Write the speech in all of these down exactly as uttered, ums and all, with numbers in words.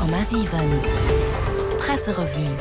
Honnert Komma siwen Presserevue.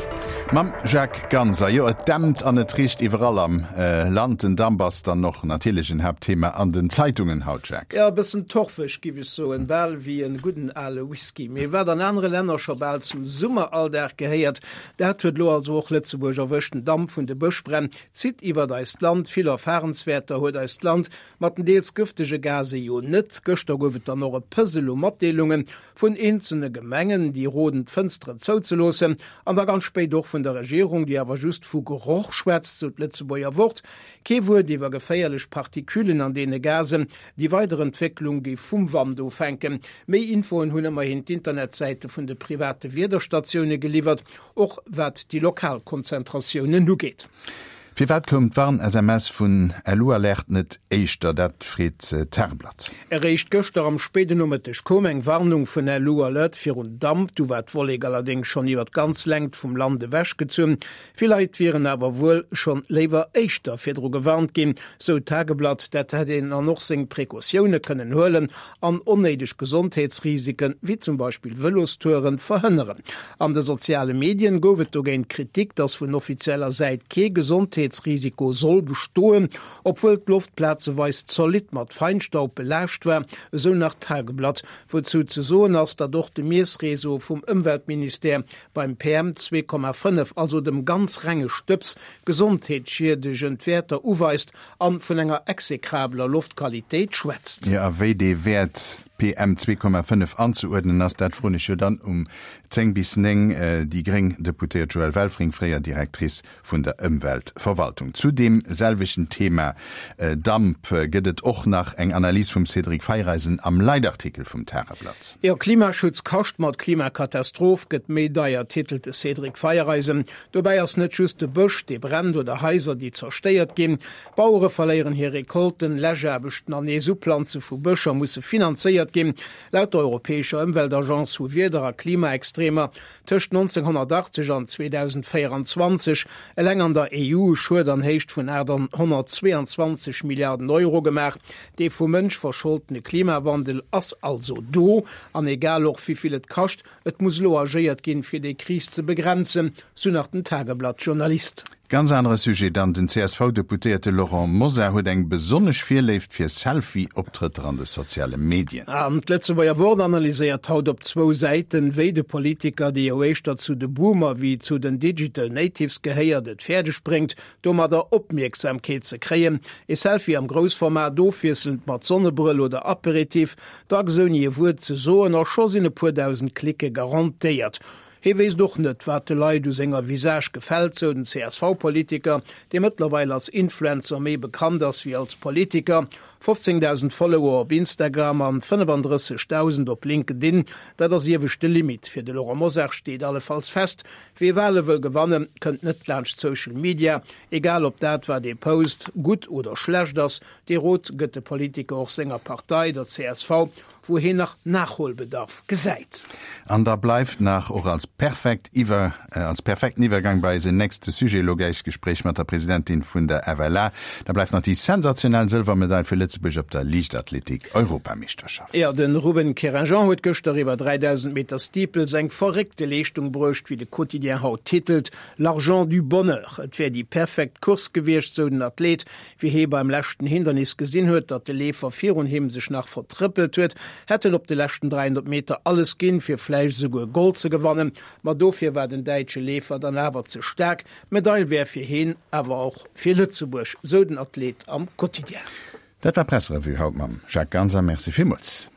Mam Jacques Ganser. Jo, et dämpt an et richt iwwerall am Land. Den Damp ass dann och natierlech en Haaptthema an den Zeitungen haut, Jacques. Jo, e bëssen torfeg, giff ech soen, bal wéi en gudden ale Whisky. Mee wat an anere Länner scho bal zum Summeralldag gehéiert, dat huet lo also och Lëtzebuerg erwëscht. Den Damp vun de Bëschbränn zitt iwwert eist Land. Vill Erfahrenswäerter huet eist Land mat den deels gëftege Gase jo net. Gëschter gouf et dann och e Puzzle u Matdeelunge vun eenzelne Gemengen, déi roden, d'Fënsteren zouzeloossen, an da ganz spéit och vun der Regierung, déi awer just vu Geroch schwätzt, sou d'Lëtzebuerger Wort. Kee Wuert iwwer geféierlech Partiküllen an deene Gasen. Déi weider Entwécklung géif vum Wand ofhänken. Méi Infoen hunn ëmmerhin d'Internetsäite vun de private Wiederstatioune geliwwert, och wat déi lokal Konzentratiounen ugeet. Firwat koum d'Warn-S M S vun Lu-Alerte net éischter? Dat freet d'Tageblatt. Eréischt gëschter am spéiden Nomëtteg koum eng Warnung vun Lu-Alert virun Damp. Du war d'Wollek allerdéngs schonn iwwer d'ganz Längt vum Land ewechgezunn. Vill Leit wieren awer wuel schonn léiwer éischter virdru gewarnt ginn, sou d'Tageblatt. Dat hätt een dann och seng Precautioune kënnen huelen an onnéideg Gesondheetsrisiken, wéi zum Beispill Vëlostouren, verhënneren. An de soziale Medien gouf et dogéint Kritik, datt vun offizieller Säit kee Gesondheetsrisiko soll bestoen, obwuel d'Loft plazeweis zolidd mat Feinstaub belaascht war, esou nach d'Tageblatt. Wouzou ze soen ass, datt och de Miessreseau vum Ëmweltministère beim P M zwee Komma fënnef, also dem ganz renge Stëbs, gesondheetsschiedegend Wäerter uweist an vun enger exekrabeler Loftqualitéit schwätzt. Jo, a wéi dee Wäert P M zwee Komma fënnef anzeuerdnen ass, dat froen ech jo dann um zéng bis néng déi gréng Deputéiert Joëlle Welfring, fréier Directrice vun der Ëmweltverwaltung. Zu deem selwechten Thema Damp gëtt et och nach eng Analys vum Cédric Feiereisen am Leitartikel vum Tageblatt. Jo, Klimaschutz kascht mat Klimakatastroph, gëtt méi deier, titelt de Cédric Feiereisen. Dobäi ass net just de Bësch, dee brennt oder Haiser, déi zerstéiert ginn. Bauere verléieren hir Recolten, Läschaarbechten an nees Uplanze vu Bëscher musse finanzéiert ginn. Laut der Europäescher Ëmweltagence hu Wieder a Klimaextremer tëscht nonzénghonnertachtzeg an zweedausendvéierenzwanzeg eleng an der E U e Schued an Héicht vun aathonnertzweeanzwanzeg Milliarden Euro gemaach. Dee vum Mënsch verscholtene Klimawandel ass also do. An egal och wéi vill et kascht, et muss elo agéiert ginn, fir déi Kris ze begrenzen, sou nach den Tageblatt-Journalist. Ganz anere Sujet dann, Den C S V-Deputéierte Laurent Mosar huet eng besonnesch Virléift fir Selfie-Optrëtter an de soziale Medien. An d'Lëtzebuerger Wort analyséiert haut op zwou Säiten, wéi de Politiker, dee jo éischter zu de Boomer wéi zu den Digital Natives gehéiert, et fäerdeg bréngt, domadder Opmierksamkeet ze kréien. E Selfie am Groussformat, ofwiesselnd mat Sonnebrëll oder Aperitif, dacks ouni e Wuert ze soen, a scho sinn e puer dausend Klicke garantéiert. Hie wéisst och net, wat de Leit u senger Visage gefält, sou den C S V-Politiker, dee mëttlerweil als Influencer méi bekannt ass wéi als Politiker. fofzéngdausend Follower op Instagram an fënnefandrëssegdausend op LinkedIn, dat ass ieweschte Limit. Fir de Laurent Mosar steet allefalls fest, Wie Wale wëll gewannen, kënnt net laanscht Social Media, egal ob dat, wat ee post, gutt oder schlecht ass. Dee Rot gëtt de Politiker och senger Partei, der C S V, wou hien nach Nachholbedarf gesäit. An da bleift nach och als perfekt iwwer als perfekten Iwwergang bei eisen nächste Sujet, elo gläich Gespréich mat der Presidentin vun der F L A, da bleift nach déi sensationell Sëlwermedail fir Lëtzebuerg op der Liichtathletik-Europameeschterschaft. Jo, de Ruben Querinjean huet gëschter iwwer dräidausend Meter Steeples eng verréckte Leeschtung bruecht, wéi de Quotidien haut titelt, L'argent du bonheur. Et wär déi perfekt Course gewiescht, sou den Athlet, wéi hie beim leschten Hindernis gesinn huet, datt de Leefer virun him sech nach vertrëppelt huet, hätt en op de leschten dräihonnert Meter alles ginn, fir vläicht esouguer Gold ze gewannen, ma dofir war den däitsche Leefer dann awer ze staark. D'Medail wär fir hien, awer och fir Lëtzebuerg, sou den Athlet am Quotidien. Dat war Presserevue haut mam Jacques Ganser. Merci villmools.